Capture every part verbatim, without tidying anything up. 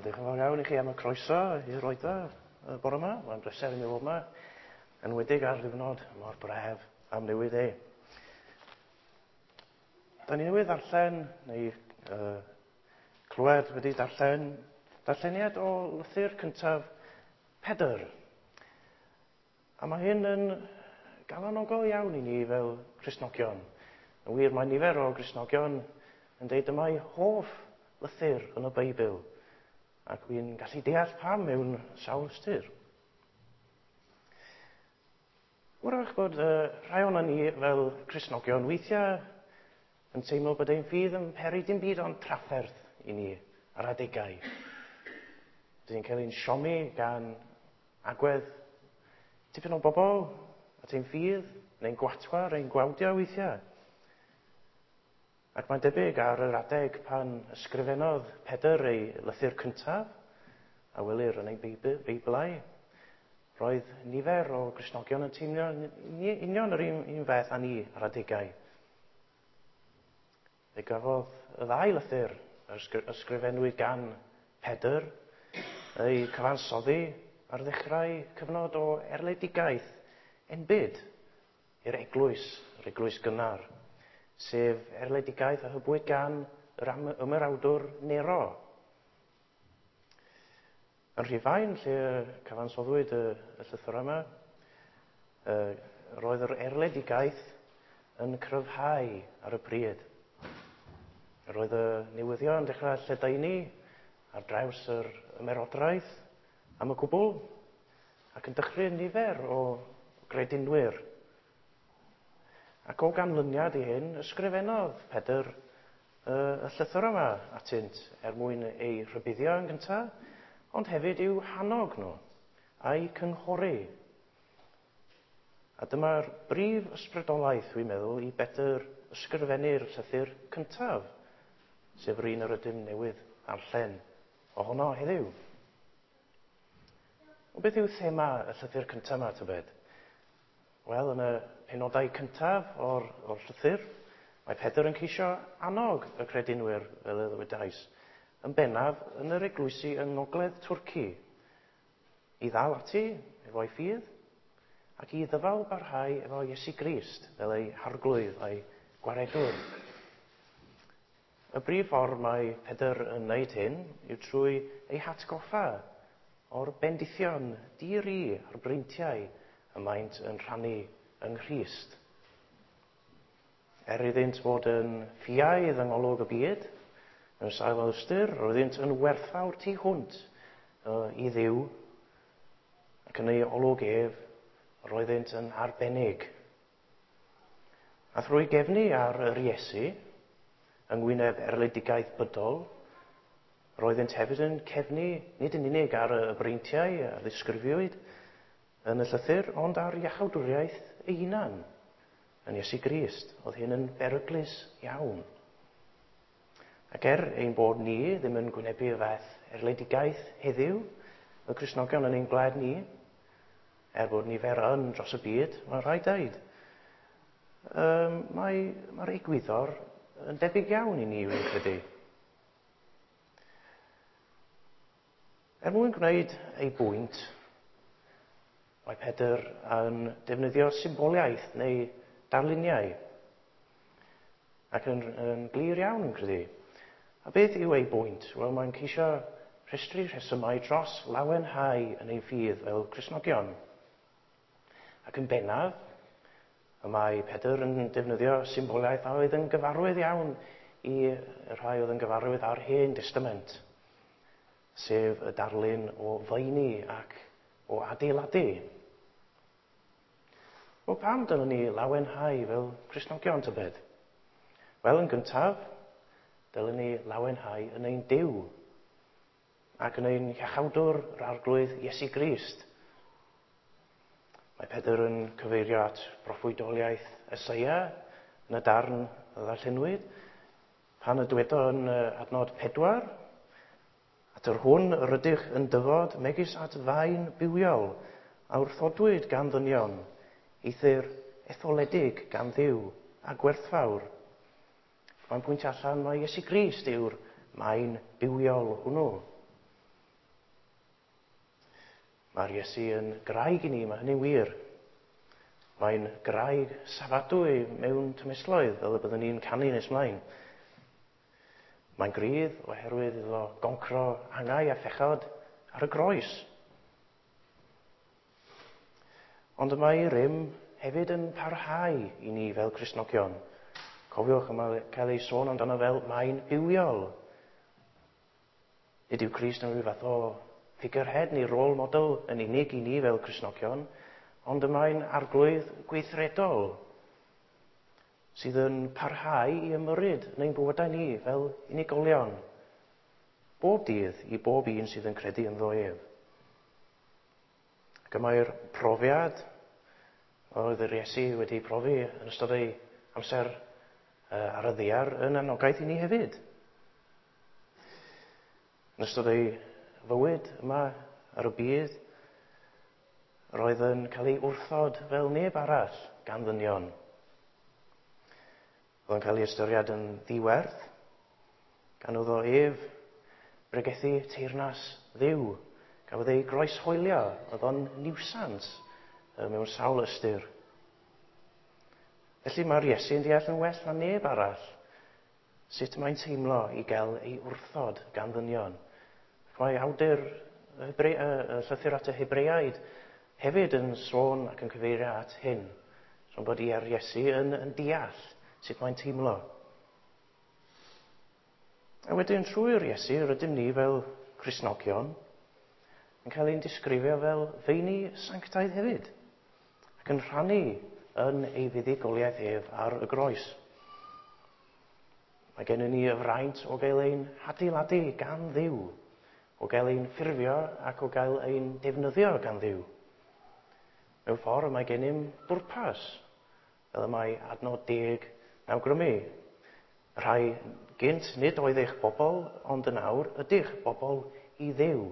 Diolch yn fawr iawn i chi am y croeso i'r oedfa y bore yma. Mae'n bleser i mi fod yma, yn enwedig ar ddiwrnod mor braf am newydd e. Da ni newydd ddarllen, neu uh, clywed wedi darllen, darlleniad o lythyr cyntaf Pedr. A mae hyn yn galonogol iawn i ni fel Cristnogion. Yn wir, mae nifer o Gristnogion yn deud yma'i hoff lythyr yn y Beibl. Ac wy'n gallu deall pam mewn sawl ystyr. Wrach bod uh, rhai o'na ni fel Cristnogion weithiau yn teimlo bod ein ffydd yn peri dim byd ond trafferth i ni ar adegau. Dyn ni'n cael ein siomi gan agwedd tipyn o bobl at ein ffydd, neu'n gwatwar, ein gwawdio weithiau. Ac mae'n debyg ar yr adeg pan ysgrifennodd Pedr ei lythyr cyntaf, a welir yn ei Beiblau, roedd nifer o Gristnogion yn teimlo union yr un, un fath â ni ar adegau. Fe gafodd y ddau lythyr ysgrifennwyd gan Pedr ei cyfansoddi ar ddechrau cyfnod o erledigaeth enbyd i'r eglwys, yr eglwys gynnar, sef erledigaeth a hybwyd gan yr ymerawdwr Nero. Yn Rhufain, lle cyfansoddwyd y, y llythyr yma, roedd yr erledigaeth yn cryfhau ar y pryd. Roedd y newyddion yn dechrau lledaenu ar draws yr ymerodraeth am y cwbl, ac yn dechrau nifer o gredinwyr. Ac o ganlyniad i hyn, ysgrifennodd Pedr y, y llythyr yma atynt er mwyn ei rhybuddio yn gyntaf, ond hefyd i'w hannog nhw a'i cynghori. A dyma'r brif ysbrydolaeth, dwi'n meddwl, i Bedr ysgrifennu'r llythyr cyntaf, sef yr un yr ydym newydd darllen ohono heddiw. O beth yw thema y llythyr cyntaf yma, tybed? Wel, yn y penodau cyntaf o'r, o'r llythyr, mae Pedr yn ceisio annog y credinwyr, fel y ddywedais, yn bennaf yn yr eglwysi yng Ngogledd Twrci, i ddal ati efo'i ffydd ac i ddyfal barhau efo Iesu Grist fel ei harglwydd a'i gwaredwr. Y brif ffordd mae Pedr yn wneud hyn yw trwy ei hatgoffa o'r bendithion di-ri a'r breintiau y maent yn rhannu yng Nghrist. Er iddynt fod yn ffiaidd yng ngolwg y byd, mewn sawl ystyr, roeddynt yn werthfawr tu hwnt uh, i Dduw, ac yn ei olwg ef, roeddynt yn arbennig. A thrwy gefnu ar yr Iesu, yng ngwyneb erledigaeth bydol, roeddynt hefyd yn cefnu nid yn unig ar y breintiau a ddisgrifiwyd yn y llythyr, ond ar iachawdwriaeth ei hunan yn Iesu Grist. Oedd hyn yn beryglus iawn. Ac er ein bod ni ddim yn gwynebu y fath erledigaeth heddiw, y Cristnogion yn ein gwlad ni, er bod nifer yn dros y byd, mae'n rhaid dweud, um, mae, mae'r egwyddor yn debyg iawn i ni, wy'n credu. Er mwyn gwneud ei bwynt, mae Pedr yn defnyddio symboliaeth neu darluniau, ac yn, yn glir iawn yn credu. A beth yw ei bwynt? Wel, mae'n ceisio rhestru rhesymau dros lawenhau yn ein ffydd fel Cristnogion. Ac yn bennaf, y mae Pedr yn defnyddio symboliaeth a oedd yn gyfarwydd iawn i rhai oedd yn gyfarwydd â'r Hen Testament, sef y darlun o feini ac o adeiladu. Wel, pam dylwn ni lawenhau fel Cristnogion, tybed? Wel, yn gyntaf, dylwn ni lawenhau yn ein Duw ac yn ein Iachawdwr, yr Arglwydd Iesu Grist. Mae Pedr yn cyfeirio at broffwydoliaeth Eseia yn y darn a ddarllenwyd, pan y dywedo yn adnod pedwar, at yr hwn yr ydych yn dyfod megis at faen bywiol a wrthodwyd gan ddynion, eithr etholedig gan Dduw a gwerthfawr. Mae'n pwyntio allan mai Iesu Grist yw'r maen bywiol hwnnw. Mae'r Iesu yn graig i ni, mae hynny'n wir. Mae'n graig safadwy mewn tymestloedd, fel y byddwn ni'n canu nes mlaen. Mae'n grydd oherwydd iddo goncro angau a phechod ar y groes. Ond y mae rym hefyd yn parhau i ni fel Cristnogion. Cofiwch, yma cael ei sôn amdano fel mae'n bywiol. Nid yw Crist yn rhyw fath o figurehead neu role model yn unig i ni fel Cristnogion, ond y mae'n arglwydd gweithredol sydd yn parhau i ymyrryd yn ein bywydau ni fel unigolion, bob dydd i bob un sydd yn credu ynddo ef. Ac y mae'r profiad oedd yr Iesu wedi profi yn ystod ei amser ar y ddaear yn anogaeth i ni hefyd. Yn ystod ei fywyd yma ar y byd, roedd yn cael ei wrthod fel neb arall gan ddynion. Roedd yn cael ei ystyried yn ddiwerth, gan oedd o ef bregethu teyrnas Dduw. Gafodd ei groeshoelio, oedd o'n niwsans mewn sawl ystyr. Felly mae'r Iesu yn deall yn well na neb arall sut mae'n teimlo i gael ei wrthod gan ddynion. Ac mae awdur y Hebre, y llythyr at y Hebreaid hefyd yn sôn ac yn cyfeirio at hyn. Sôn bod i'r Iesu yn, yn deall sut mae'n teimlo. A wedyn trwy'r Iesu rydym ni fel Cristnogion yn cael ein disgrifio fel feini sanctaidd hefyd, ac yn rhannu yn ei fuddugoliaeth ef ar y groes. Mae gennym ni y fraint o gael ein hadeiladu gan Dduw, o gael ein ffurfio ac o gael ein defnyddio gan Dduw. Mewn ffordd mae gennym bwrpas, fel y mae adnod deg yn awgrymu. Rhai gynt nid oedd eich bobl, ond yn awr ydych bobl i Dduw.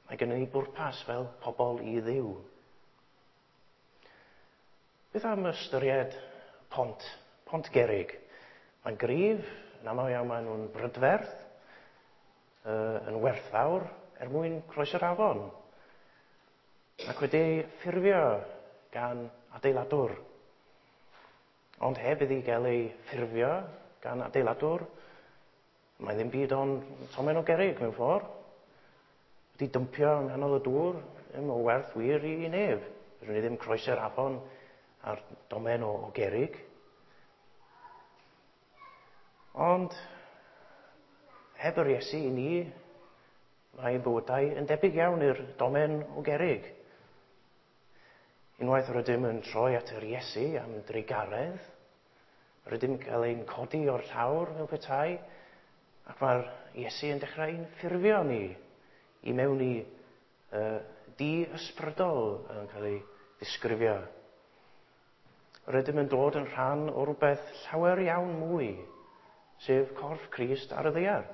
Mae gennym ni bwrpas fel pobl i Dduw. Beth am ystyried pont, pont gerrig? Mae'n gryf, yn aml iawn maen nhw'n brydferth, yn werthfawr er mwyn croesi'r afon, ac wedi ei ffurfio gan adeiladwr. Ond heb iddi gael ei ffurfio gan adeiladwr, mae ddim byd ond tomen o gerrig mewn ffordd. Wedi dympio yng nghanol y dŵr, ddim o werth wir i, i neb. Fedrwn ni ddim croesi'r afon ar domen o, o gerrig. Ond heb yr Iesu i ni, mae bywydau yn debyg iawn i'r domen o gerrig. Unwaith rydym yn troi at yr Iesu am drugaredd, rydym yn cael ein codi o'r llawr fel petai, ac mae'r Iesu yn dechrau ein ffurfio ni i mewn i uh, di ysbrydol yn cael ei ddisgrifio. Rydym yn dod yn rhan o rhywbeth llawer iawn mwy, sef corff Crist ar y ddaear.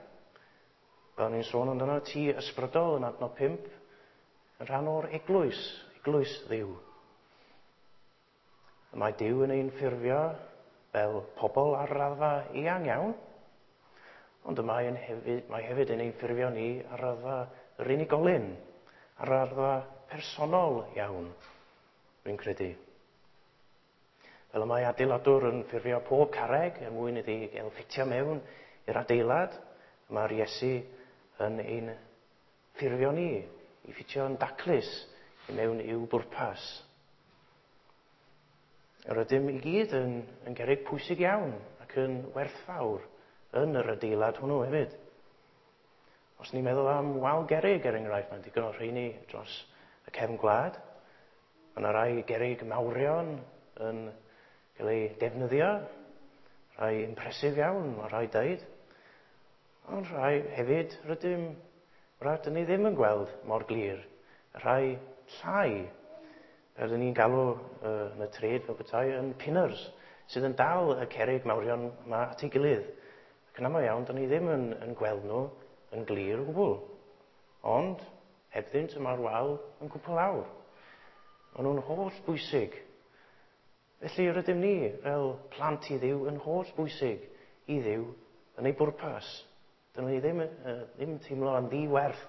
Fel ni'n sôn amdano, tŷ ysbrydol yn adnod pump, yn rhan o'r eglwys, eglwys Dduw. Mae Duw yn ein ffurfio fel pobl ar raddfa eang iawn, ond y mae, yn hefyd, mae hefyd yn ein ffurfio ni ar raddfa yr unigolyn, ar raddfa personol iawn, rwy'n credu. Fel y mae adeiladwr yn ffurfio pob carreg er mwyn iddi gael ffitio mewn i'r adeilad, mae'r Iesu yn ein ffurfio ni i ffitio'n daclus i mewn i'w bwrpas. Yr ydym i gyd yn, yn gerrig pwysig iawn ac yn werthfawr yn yr adeilad hwnnw hefyd. Os ni'n meddwl am wal gerrig, er enghraifft, mae'n digon o rheini dros y cefn gwlad. Mae yna rai gerrig mawrion yn cael eu defnyddio, rhai impresif iawn, mae rhai deud. Ond rhai hefyd rydym, rydyn ni ddim yn gweld mor glir. Rhai llai, rydyn ni'n galw uh, yn y trade fel petai yn pinners, sydd yn dal y cerrig mawrion yma at ei gilydd. Ac yn aml iawn, dyn ni ddim yn, yn gweld nhw yn glir o gwbl. Ond, hebddynt y mae'r wal yn cwpl lawr. Maen nhw'n holl bwysig. Felly rydym ni fel plant i Dduw yn holl bwysig i Dduw yn ei bwrpas. Dyn ni ddim, uh, ddim teimlo yn ddiwerth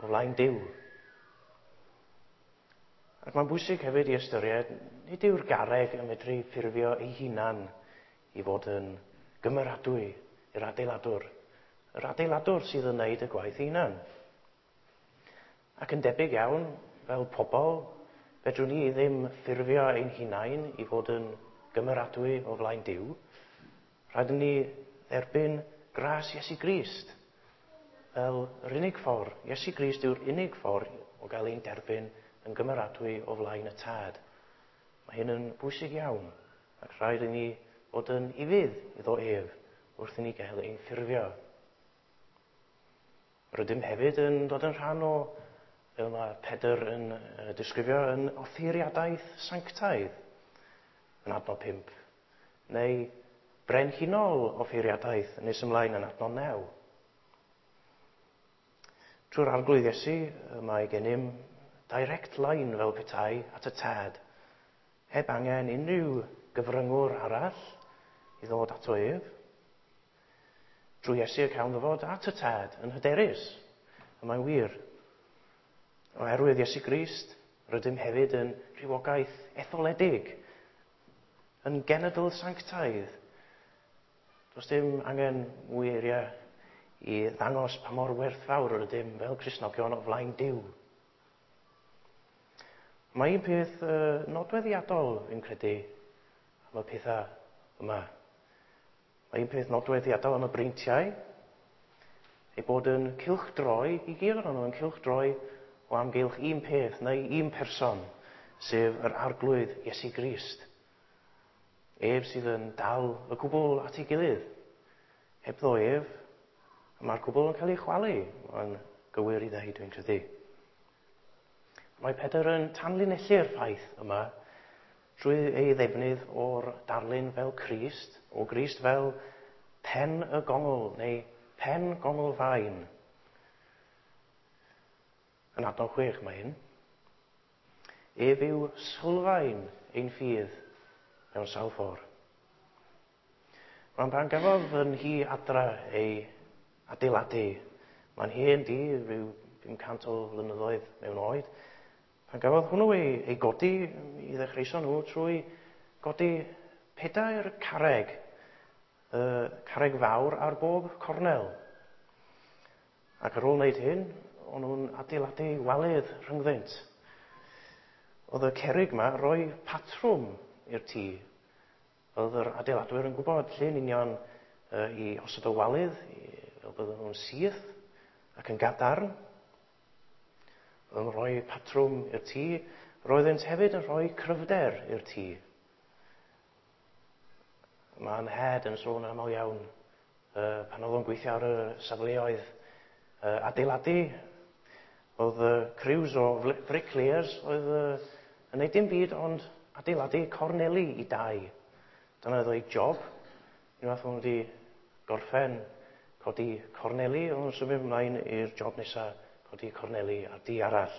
o flaen Duw. Ac mae'n bwysig hefyd i ystyried, nid yw'r garreg yn medru ffurfio ei hunan i fod yn gymeradwy i'r adeiladwr. Yr adeiladwr sydd yn wneud y gwaith ei hunan. Ac yn debyg iawn, fel pobl, fedrwn ni ddim ffurfio ein hunain i fod yn gymeradwy o flaen Duw. Rhaid i ni dderbyn gras Iesu Grist fel yr unig ffordd. Iesu Grist yw'r unig ffordd o gael ein derbyn yn gymeradwy o flaen y Tad. Mae hyn yn bwysig iawn, ac rhaid i ni fod yn ufudd iddo ef wrth i ni gael ein ffurfio. Rydym hefyd yn dod yn rhan o, fel mae Pedr yn disgrifio, yn offeiriadaeth sanctaidd yn adnod pump, neu brenhinol offeiriadaeth yn nes ymlaen yn adnod naw. Trwy'r Arglwydd Iesu mae gennym direct line fel petai at y Tad, heb angen unrhyw gyfryngwr arall i ddod ato ef. Drwy Iesu y cawn ddyfod at y Tad yn hyderus, a mae'n wir. Oherwydd Iesu Grist, rydym hefyd yn rhywogaeth etholedig, yn genedl sanctaidd. Does dim angen mwy eiriau i ddangos pa mor werthfawr rydym fel Cristnogion o flaen Duw. Mae un peth uh, nodweddiadol, fi'n credu, am y pethau yma. Mae un peth nodweddiadol am y breintiau, ei bod yn cylchdroi, i gyd ohonyn nhw yn cylchdroi o amgylch un peth neu un person, sef yr Arglwydd Iesu Grist. Ef sydd yn dal y cwbl at ei gilydd. Hebddo ef, mae'r cwbl yn cael ei chwalu. Mae'n gywir i ddeud, dwi'n credu. Mae Pedr yn tanlinellu'r ffaith yma drwy ei ddefnydd o'r darlun fel Crist, o Grist fel pen y gongl neu pen gongl fain. Yn adnod chwech mae hyn. Ef yw sylfaen ein ffydd mewn sawl ffordd. Rwan pan gafodd fy nhŷ adra ei adeiladu, mae'n hen dŷ, rhyw bum cant o flynyddoedd mewn oed. Pan gafodd hwnnw ei, ei godi, i ddechreuson nhw trwy godi pedair carreg, uh, carreg fawr ar bob cornel. Ac ar ôl wneud hyn, o'n nhw'n adeiladu walydd rhyngddynt. Oedd y cerrig yma roi patrwm i'r tŷ. Oedd yr adeiladwyr yn gwybod lle yn union uh, i osod y walydd, i, fel bydden nhw'n syth ac yn gadarn. Yn rhoi patrwm i'r tŷ. Roeddent hefyd yn rhoi cryfder i'r tŷ. Mae 'nhad yn sôn aml iawn uh, pan oedd o'n gweithio ar y safleoedd uh, adeiladu. Oedd uh, crews o bricklayers oedd uh, yn gwneud dim byd ond adeiladu corneli i dai. Dyna oedd ei job. Unwaith o'n wedi gorffen codi corneli, o'n nhw'n symud ymlaen i'r job nesaf, codi corneli ar dŷ arall.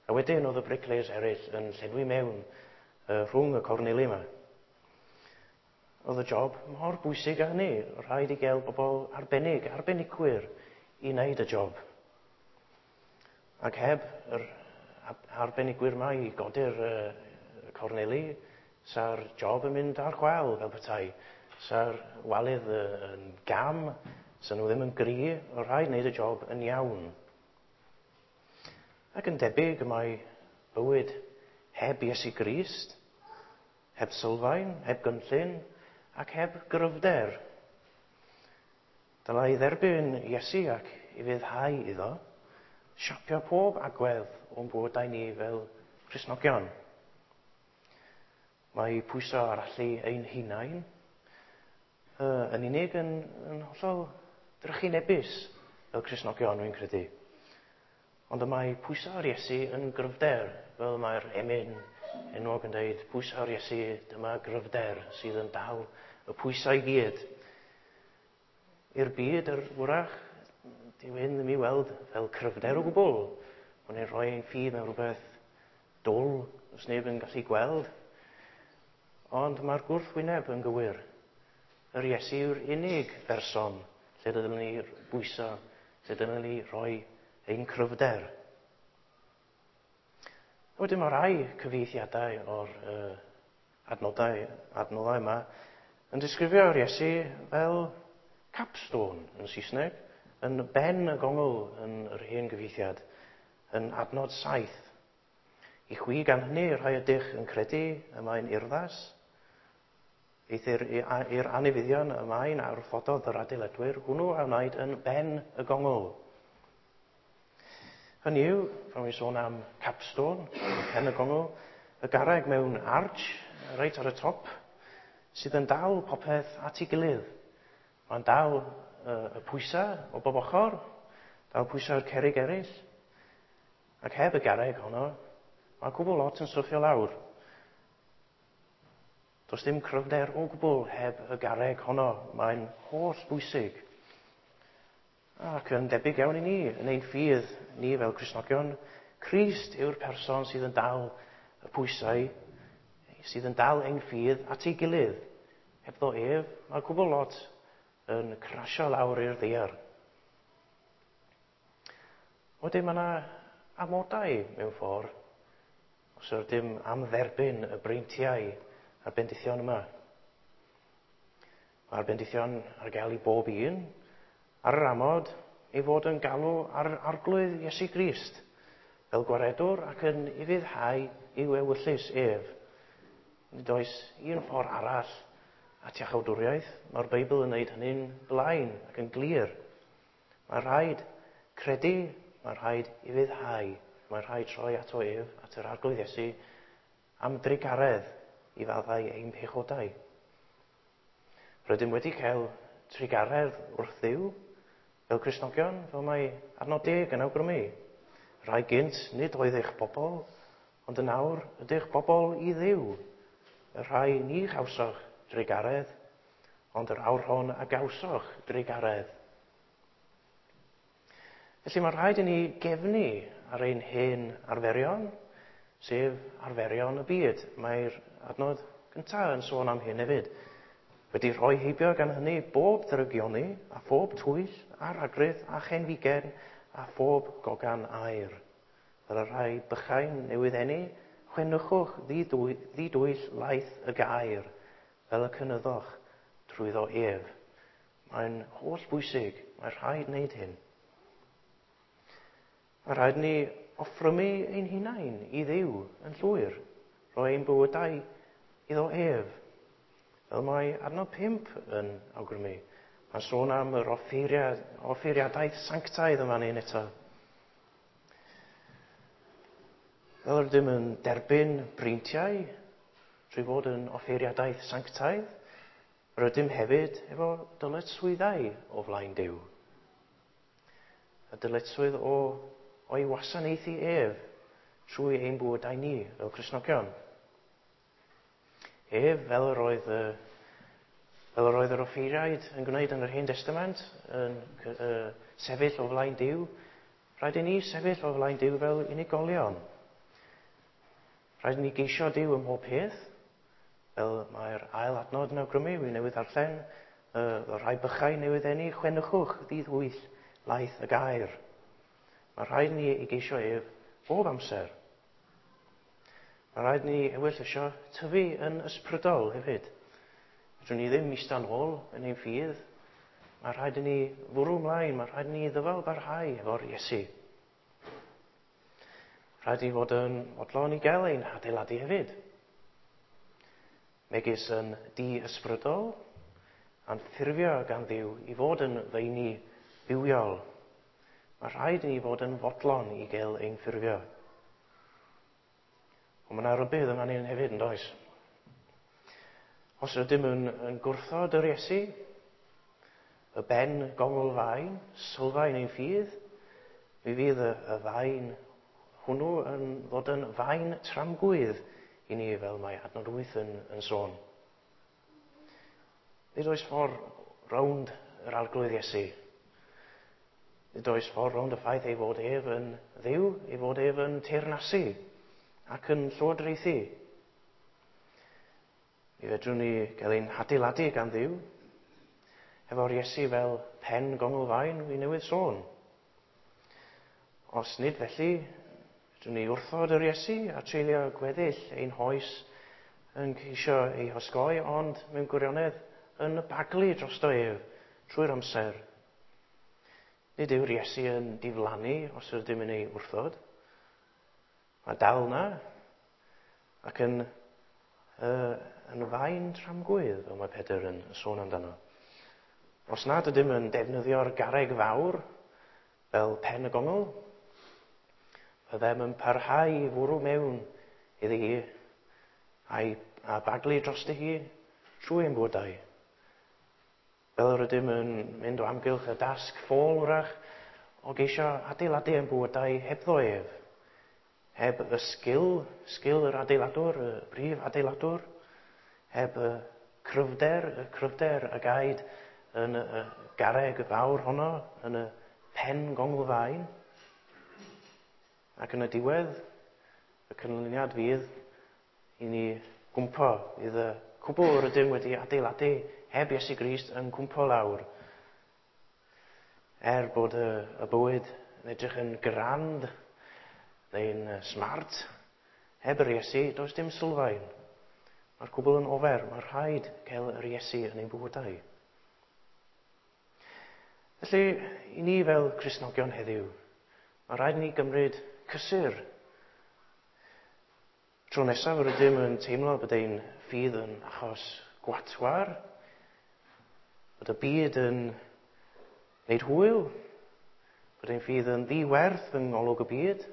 A wedyn oedd y bricklayers eraill yn llenwi mewn uh, rhwng y corneli yma. Oedd y job mor bwysig â hynny. Rhaid i gael bobl arbennig, arbenigwyr i wneud y job. Ac heb yr arbenigwyr yma i godi'r uh, corneli, sa'r job yn mynd ar chwâl fel petai. Sa'r walydd yn gam, sa nhw ddim yn gry, oedd rhaid wneud y job yn iawn. Ac yn debyg mae bywyd heb Iesu Grist, heb sylfaen, heb gynllun, ac heb gryfder. Dylai dderbyn Iesu ac i ufuddhau iddo, siapio pob agwedd o'n bywydau ni fel Cristnogion. Mae pwyso ar allu ein hunain uh, yn unig yn, yn hollol drychinebus fel Cristnogion, dwi'n credu. Ond y mae pwyso ar Iesu yn gryfder, fel mae'r emyn enwog yn dweud, pwyso ar Iesu, dyma gryfder sydd yn dal y pwysau i gyd. I'r byd, yr wrach, dyw hyn ddim i weld fel cryfder o gwbl. Ond ni'n rhoi ein ffydd mewn rhywbeth dwl, os neb yn gallu gweld. Ond mae'r gwrthwyneb yn gywir. Yr Iesu yw'r unig berson lle dylwn ni bwyso, lle dylwn ni rhoi ein cryfder. Wedyn mae rai cyfieithiadau o'r uh, adnodau, adnoddau yma yn disgrifio'r Iesu fel capstone yn Saesneg, yn ben y gongl yn yr hen gyfieithiad, yn adnod saith. I chwi gan hynny rhai ydych yn credu y mae'n urddas, eithr i'r anifyddion y mae'n a wrthododd yr adeiladwyr, hwnnw a wnaed yn ben y gongl. Hynny yw, pan wy'n sôn am capstone, pen y gongl, y garreg mewn arch, reit ar y top, sydd yn dal popeth at ei gilydd. Mae'n dal y pwysau o bob ochr, dal pwysau'r cerrig eraill. Ac heb y garreg honno, mae cwbl lot yn syrthio lawr. Does dim cryfder o gwbl heb y garreg honno. Mae'n holl bwysig. Ac yn debyg iawn i ni, yn ein ffydd ni fel Cristnogion, Crist yw'r person sydd yn dal y pwysau, sydd yn dal ein ffydd at ei gilydd. Hebddo ef, mae cwbl lot yn crasio lawr i'r ddaear. Wedyn mae yna amodau mewn ffordd, os ydym am dderbyn y breintiau a'r bendithion yma. Mae'r bendithion ar gael i bob un, ar yr amod ei fod yn galw ar Arglwydd Iesu Grist, fel gwaredwr ac yn ufuddhau i'w ewyllys ef. Nid oes un ffordd arall at iachawdwriaeth. Mae'r Beibl yn gwneud hynny'n blaen ac yn glir. Mae rhaid credu, mae rhaid ufuddhau, mae rhaid troi ato ef, at yr Arglwydd Iesu, am drugaredd i faddau ein pechodau. Rydym wedi cael trugaredd wrth Dduw, fel Cristnogion, fel mae adnod deg yn awgrymu. Rhai gynt nid oedd eich bobl, ond yn awr ydych bobl i Dduw. Y rhai ni chawsoch drugaredd, ond yr awr hon a gawsoch drugaredd. Felly mae rhaid i ni gefnu ar ein hen arferion, sef arferion y byd. Mae'r adnod gyntaf yn sôn am hyn hefyd. Wedi rhoi heibio gan hynny bob drygioni, a phob twyll, a rhagrith, a chenfigen, a phob gogan aur. Fel y rhai bychain newydd eni, chwennychwch ddidwyll laeth y gair, fel y cynyddoch trwyddo ef. Mae'n holl bwysig, mae rhaid wneud hyn. Mae rhaid ni offrymu ein hunain i Dduw yn llwyr, rhoi ein bywydau iddo ef. Fel mae adnod pump yn awgrymu. Mae'n sôn am yr offeiriad, offeiriadaeth sanctaidd yma ni'n eto. Fel rydym yn derbyn breintiau trwy fod yn offeiriadaeth sanctaidd, rydym hefyd efo dyletswyddau o flaen Duw. Y dyletswydd o, o'i wasanaethu ef trwy ein bywydau ni fel Cristnogion. Ef, fel yr oedd, fel yr oedd yr offeiriaid yn gwneud yn yr Hen Testament, yn uh, sefyll o flaen Duw, rhaid i ni sefyll o flaen Duw fel unigolion. Rhaid i ni geisio Duw ym mhob peth, fel mae'r ail adnod yn awgrymu, wi newydd ddarllen, uh, y rhai bychau newydd eni, chwennychwch ddydd laeth y gair. Mae rhaid ni i geisio ef bob amser. Mae rhaid ni ewyllysio tyfu yn ysbrydol hefyd. Fedrwn ni ddim eistedd nôl yn ein ffydd. Mae rhaid i ni fwrw ymlaen, mae rhaid i ni ddyfal barhau efo'r Iesu. Rhaid i fod yn fodlon i gael ein hadeiladu hefyd. Megis yn di-ysbrydol, a'n ffurfio gan Dduw i fod yn feini bywiol. Mae rhaid i ni fod yn fodlon i gael ein ffurfio. Ond mae yna rybudd yma ni'n hefyd, yn does? Os ydym yn, yn gwrthod yr Iesu, y ben gongl fain, sylfaen ein ffydd, mi fydd y, y fain hwnnw yn ddod yn fain tramgwydd i ni, fel mae adnod wyth yn, yn sôn. Nid oes ffordd rownd yr Arglwydd Iesu. Nid oes ffordd rownd y ffaith ei fod ef yn Dduw, ei fod ef yn teyrnasu ac yn llywodraethu. Mi fedrwn ni gael ein hadeiladu gan Dduw, efo'r Iesu fel pen gongl fain wi newydd sôn. Os nid felly, Drwy ni wrthod yr Iesu a treulio gweddill ein hoes yn ceisio ei hosgoi, ond mewn gwirionedd yn baglu drosto ef trwy'r amser. Nid yw'r Iesu yn diflannu os ydym yn ei wrthod. Mae dal na ac yn, uh, yn faen tramgwydd, fel mae Pedr yn sôn amdano. Os nad ydym yn defnyddio'r garreg fawr fel pen y gongl, byddem yn parhau i fwrw mewn iddi hi a'i, a baglu drosti hi trwy ein bywydau. Fel yr ydym yn mynd o amgylch y dasg ffôl wrach o geisio adeiladu ein bywydau hebddo ef. Heb y sgil, sgil yr adeiladwr, y brif adeiladwr, heb y cryfder, y cryfder a gaed yn y garreg fawr honno, yn y pen gonglfaen. Ac yn y diwedd, y canlyniad fydd i ni gwmpo, fydd y cwbl yr ydym wedi adeiladu heb Iesu Grist yn cwmpo lawr. Er bod y, y bywyd yn edrych yn grand neu'n smart, heb yr Iesu, does dim sylfaen. Mae'r cwbl yn ofer, mae rhaid cael yr Iesu yn ein bywydau. Felly, i ni fel Cristnogion heddiw, mae rhaid i ni gymryd cysur. Tro nesaf yr ydym yn teimlo bod ein ffydd yn achos gwatwar, bod y byd yn wneud hwyl, bod ein ffydd yn ddiwerth yng ngolwg y byd.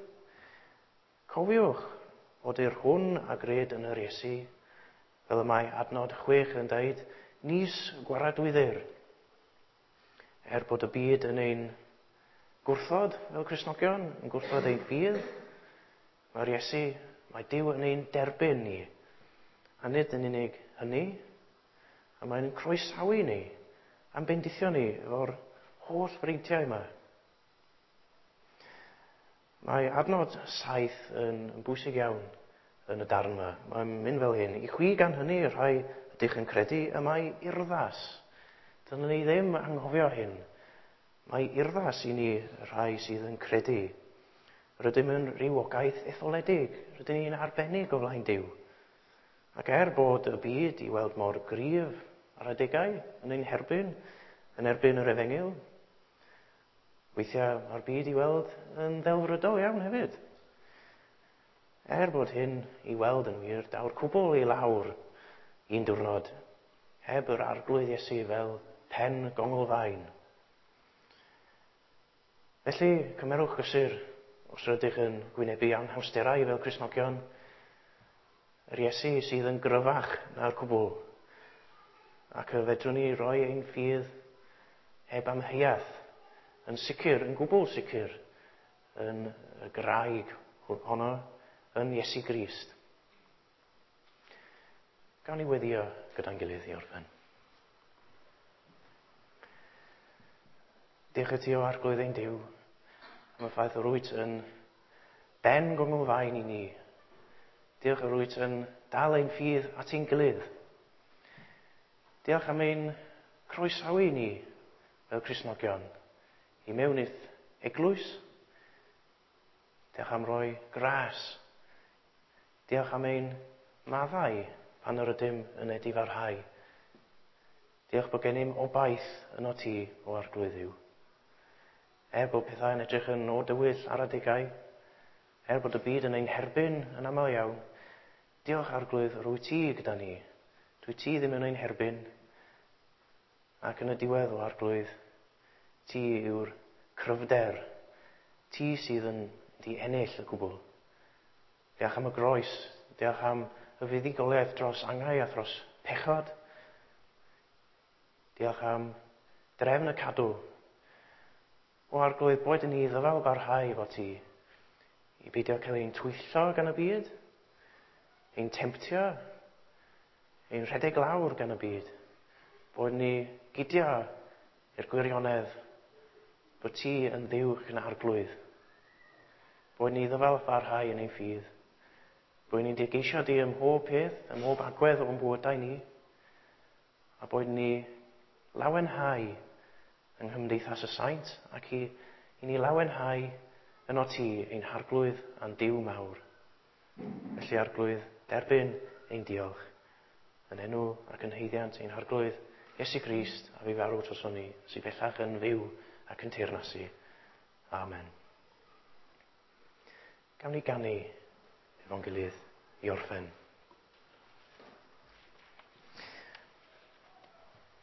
Cofiwch fod i'r hwn a gred yn yr Iesu, fel y mae adnod chwech yn dweud, nis gwaradwyddir. Er bod y byd yn ein gwrthod fel Cristnogion, yn gwrthod ein ffydd, mae'r Iesu, mae Duw yn ein derbyn ni. A nid yn unig hynny, a mae'n croesawu ni, a'n bendithio ni efo'r holl freintiau yma. Mae adnod saith yn, yn bwysig iawn yn y darn yma. Mae'n mynd fel hyn. I chwi gan hynny, rhai ydych yn credu, y mae urddas. Dyna ni ddim anghofio hyn. Mae urddas i ni rhai sydd yn credu. Rydym yn rhywogaeth etholedig. Rydyn ni'n arbennig o flaen Duw. Ac er bod y byd i weld mor gryf ar adegau yn ein herbyn, yn erbyn yr efengyl, weithiau mae'r byd i weld yn ddelfrydol iawn hefyd. Er bod hyn i weld yn wir, daw'r cwbl i lawr un diwrnod, heb yr Arglwydd Iesu fel pen gonglfaen. Felly, cymerwch gysur os rydych yn gwynebu anhawsterau fel Cristnogion, yr Iesu sydd yn gryfach na'r cwbl, ac y fedrwn ni roi ein ffydd heb amheuaeth, yn sicr, yn gwbl sicr, yn y graig honno, yn Iesu Grist. Gawn ni weddio gyda'n gilydd i orffen. Diolch i ti o Arglwydd ein Duw am y ffaith yr wyt yn ben gonglfaen i ni. Diolch yr wyt yn dal ein ffydd at ein gilydd. Diolch am ein croesawu ni fel Cristnogion i mewn i'th eglwys. Diolch am roi gras. Diolch am ein maddau pan yr ydym yn edifarhau. Diolch bod gennym obaith yno ti o Arglwydd Dduw. Er bod pethau yn edrych yn o dywyll ar adegau, er bod y byd yn ein herbyn yn aml iawn, diolch Arglwydd yr wyt ti gyda ni. Dwyt ti ddim yn ein herbyn. Ac yn y diwedd o Arglwydd, ti yw'r cryfder. Ti sydd yn di ennill y cwbl. Diolch am y groes, diolch am y fuddugoliaeth dros angau a thros pechod. Diolch am drefn y cadw. O Arglwydd, boed i ni ddyfal barhau efo ti, i beidio cael ein twyllo gan y byd, ein temtio, ein rhedeg lawr gan y byd. Boed ni gydio i'r gwirionedd bod ti yn Dduw yn Arglwydd. Boed ni ddyfal barhau yn ein ffydd. Boed ni'n digeisio di ym mhob peth, ym mhob agwedd o'n bywydau ni. A boed ni lawenhau yng nghymdeithas y saint ac i, i ni lawenhau Yno ti ein harglwydd a'n Duw mawr. Felly arglwydd, derbyn ein diolch yn enw ac yn haeddiant ein harglwydd Iesu Grist a fu farw droson ni, sydd bellach yn fyw ac yn teyrnasu. Amen. Gawn ni ganu efo'n gilydd i orffen.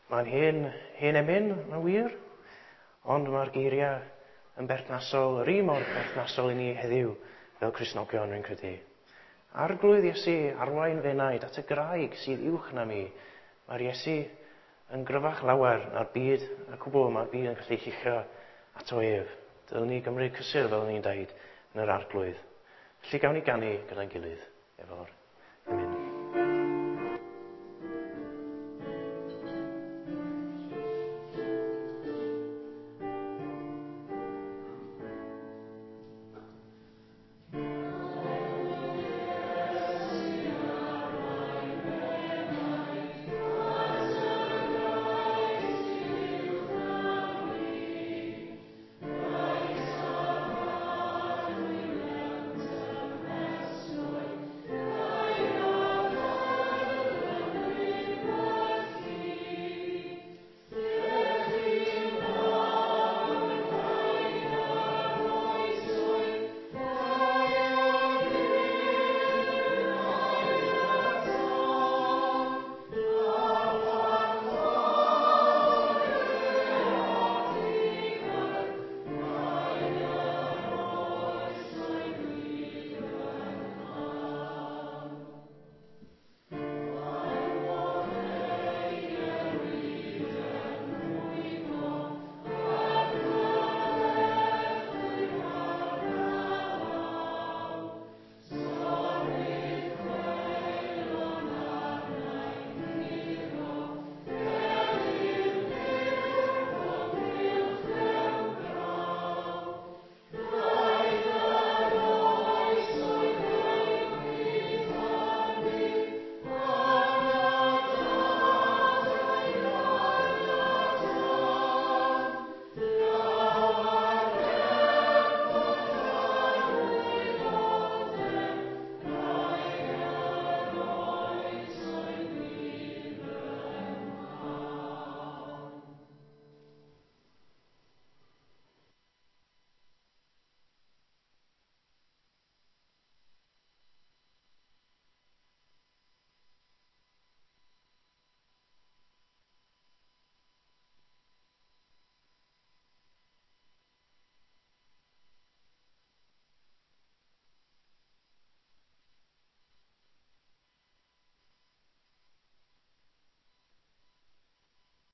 Mae'n hen, hen emyn, mae'n wir, ond mae'r geiriau yn berthnasol, yr un mor berthnasol i ni heddiw fel Cristnogion, rwy'n credu. Arglwydd Iesu, arwain fy enaid at y graig sydd uwch na mi. Mae'r Iesu yn gryfach lawer na'r byd, a cwbl mae'r byd yn gallu lluchio ato ef. Dylwn ni gymryd cysur, fel ni'n deud, yn yr arglwydd. Felly gawn ni ganu gyda'n gilydd efo'r